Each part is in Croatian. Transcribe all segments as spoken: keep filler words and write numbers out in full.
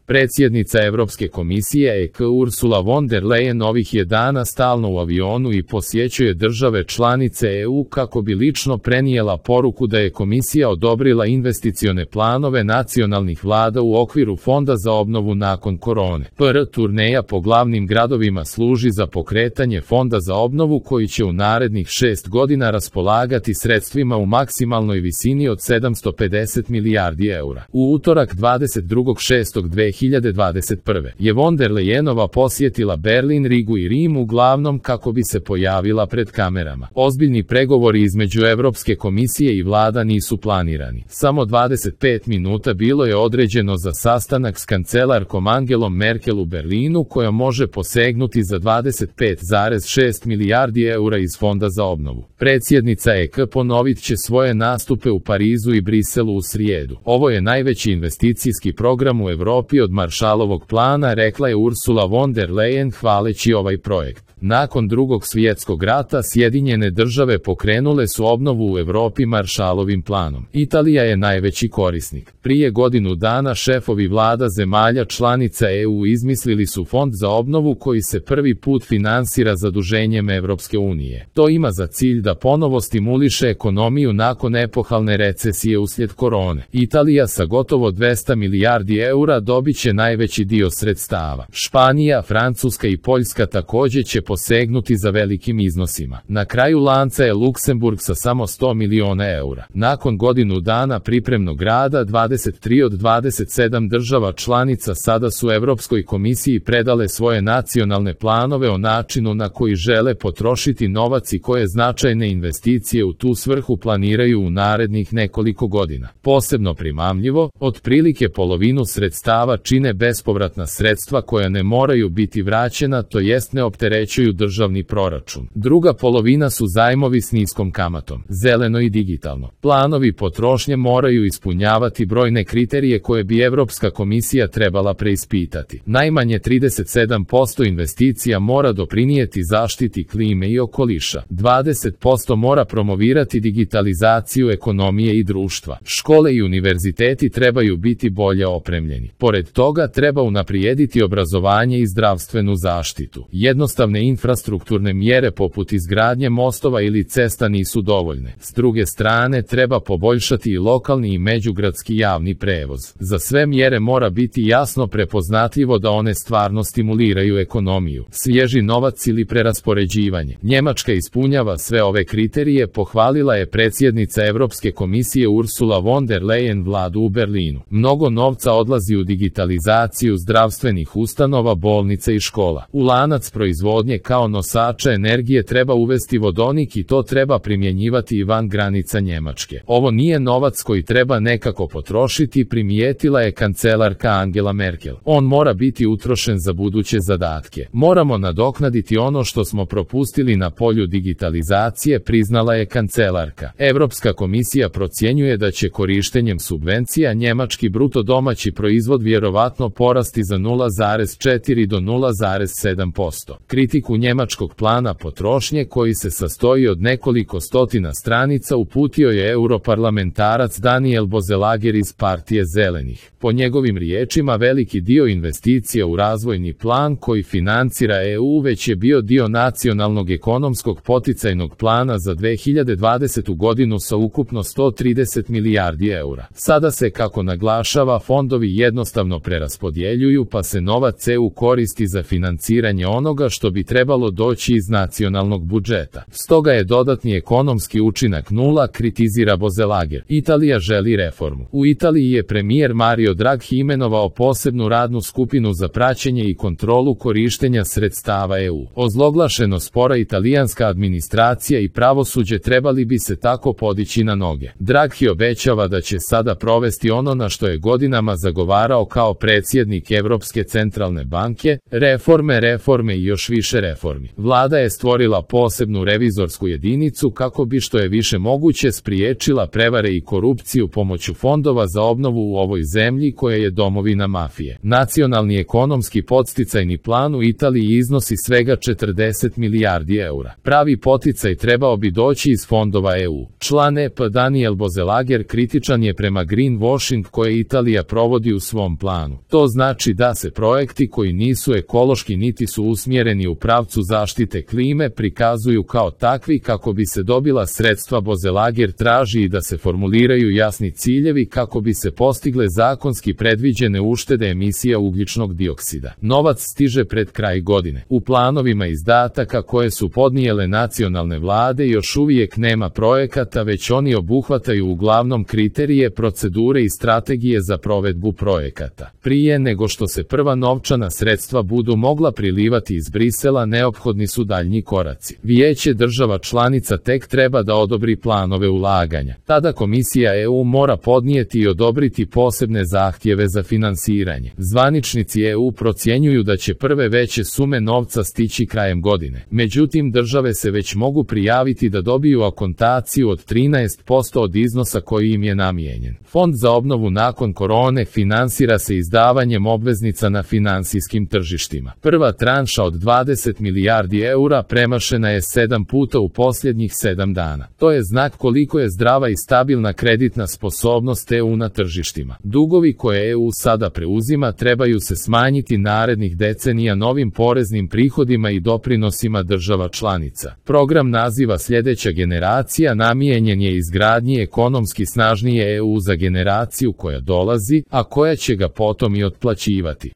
Predsjednica Europske komisije E K Ursula von der Leyen ovih je dana stalno u avionu i posjećuje države članice E U kako bi lično prenijela poruku da je komisija odobrila investicione planove nacionalnih vlada u okviru Fonda za obnovu nakon korone. P R turneja po glavnim gradovima služi za pokretanje Fonda za obnovu koji će u narednih šest godina raspolagati sredstvima u maksimalnoj visini od sedamsto pedeset milijardi eura. U utorak dvadeset drugog šestog dve hiljade dvadeset prve. je von der Leyenova posjetila Berlin, Rigu i Rim uglavnom kako bi se pojavila pred kamerama. Ozbiljni pregovori između Europske komisije i vlada nisu planirani. Samo dvadeset pet minuta bilo je određeno za sastanak s kancelarkom Angelom Merkel u Berlinu koja može posegnuti za dvadeset pet zarez šest milijardi eura iz Fonda za obnovu. Predsjednica E K ponovit će svoje nastupe u Parizu i Briselu u srijedu. Ovo je najveći investicijski program u Europi od Marshallovog plana, rekla je Ursula von der Leyen hvaleći ovaj projekt. Nakon drugog svjetskog rata Sjedinjene države pokrenule su obnovu u Europi Marshallovim planom. Italija je najveći korisnik. Prije godinu dana šefovi vlada zemalja članica E U izmislili su fond za obnovu koji se prvi put finansira zaduženjem Europske unije. To ima za cilj da ponovo stimuliše ekonomiju nakon epohalne recesije uslijed korone. Italija sa gotovo dvesta milijardi eura dobit će najveći dio sredstava. Španija, Francuska i Poljska također će posegnuti za velikim iznosima. Na kraju lanca je Luksemburg sa samo sto miliona eura. Nakon godinu dana pripremnog rada dvadeset tri od dvadeset sedam država članica sada su Europskoj komisiji predale svoje nacionalne planove o načinu na koji žele potrošiti novac i koje značajne investicije u tu svrhu planiraju u narednih nekoliko godina. Posebno primamljivo, otprilike polovinu sredstava čine bespovratna sredstva koja ne moraju biti vraćena, to jest ne opterećuju državni proračun. Druga polovina su zajmovi s niskom kamatom, zeleno i digitalno. Planovi potrošnje moraju ispunjavati brojne kriterije koje bi Europska komisija trebala preispitati. Najmanje trideset sedam posto investicija mora doprinijeti zaštiti klime i okoliša. dvadeset posto mora promovirati digitalizaciju ekonomije i društva. Škole i univerziteti trebaju biti bolje opremljeni. Pored toga treba unaprijediti obrazovanje i zdravstvenu zaštitu. Jednostavne infrastrukturne mjere poput izgradnje mostova ili cesta nisu dovoljne. S druge strane treba poboljšati i lokalni i međugradski javni prevoz. Za sve mjere mora biti jasno prepoznatljivo da one stvarno stimuliraju ekonomiju. Svježi novac ili preraspoređivanje. Njemačka ispunjava sve ove kriterije, pohvalila je predsjednica Europske komisije Ursula von der Leyen vladu u Berlinu. Mnogo novca odlazi u digitalizaciju zdravstvenih ustanova, bolnica i škola. U lanac proizvodnje kao nosača energije treba uvesti vodonik i to treba primjenjivati i van granica Njemačke. Ovo nije novac koji treba nekako potrošiti, primijetila je kancelarka Angela Merkel. On mora biti utrošen za buduće zadatke. Moramo nadoknaditi ono što smo propustili na polju digitalizacije, priznala je kancelarka. Europska komisija procjenjuje da će korištenjem subvencija njemački bruto domaći proizvod vjerovatno porasti za nula zarez četiri do nula zarez sedam posto. Kritiku njemačkog plana potrošnje koji se sastoji od nekoliko stotina stranica uputio je europarlamentarac Daniel Bozelager iz Partije zelenih. Po njegovim riječima veliki dio investicija u razvojni plan koji financira E U već je bio dio nacionalnog ekonomskog poticajnog plana za dve hiljade dvadesetu godinu sa ukupno sto trideset milijardi eura. Sada se, kako naglašava, fondovi jednostavno preraspodjeljuju pa se novac E U koristi za financiranje onoga što bi trebalo doći iz nacionalnog budžeta. Stoga je dodatni ekonomski učinak nula, kritizira Bozelager. Italija želi reformu. U Italiji je premijer Mario Draghi imenovao posebnu radnu skupinu za praćenje i kontrolu korištenja sredstava E U. Ozloglašeno spora italijanska administracija i pravosuđe trebali bi se tako podići na noge. Draghi obećava da će sada provesti ono na što je godinama zagovarao kao predsjednik Europske centralne banke, reforme, reforme i još više tiče reformi. Vlada je stvorila posebnu revizorsku jedinicu kako bi što je više moguće spriječila prevare i korupciju pomoću fondova za obnovu u ovoj zemlji koja je domovina mafije. Nacionalni ekonomski podsticajni plan u Italiji iznosi svega četrdeset milijardi eura. Pravi poticaj trebao bi doći iz fondova E U. Član E P Daniel Bozelager kritičan je prema greenwashing koje Italija provodi u svom planu. To znači da se projekti koji nisu ekološki niti su usmjereni u pravcu zaštite klime prikazuju kao takvi kako bi se dobila sredstva. Bozelager traži i da se formuliraju jasni ciljevi kako bi se postigle zakonski predviđene uštede emisija ugljičnog dioksida. Novac stiže pred kraj godine. U planovima izdataka koje su podnijele nacionalne vlade još uvijek nema projekata, već oni obuhvataju uglavnom kriterije, procedure i strategije za provedbu projekata. Prije nego što se prva novčana sredstva budu mogla prilivati iz Brisela, neophodni su daljnji koraci. Vijeće država članica tek treba da odobri planove ulaganja. Tada Komisija E U mora podnijeti i odobriti posebne zahtjeve za finansiranje. Zvaničnici E U procjenjuju da će prve veće sume novca stići krajem godine. Međutim, države se već mogu prijaviti da dobiju akontaciju od trinaest posto od iznosa koji im je namijenjen. Fond za obnovu nakon korone finansira se izdavanjem obveznica na finansijskim tržištima. Prva tranša od dvadeset milijardi eura premašena je sedam puta u posljednjih sedam dana. To je znak koliko je zdrava i stabilna kreditna sposobnost E U na tržištima. Dugovi koje E U sada preuzima trebaju se smanjiti narednih decenija novim poreznim prihodima i doprinosima država članica. Program naziva Sljedeća generacija namijenjen je izgradnji ekonomski snažnije E U za generaciju koja dolazi, a koja će ga potom i otplaćivati.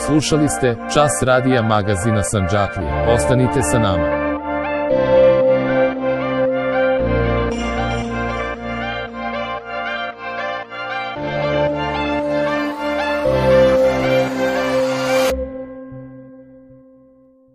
Slušali ste Čas radija magazina Sandžaklija. Ostanite sa nama.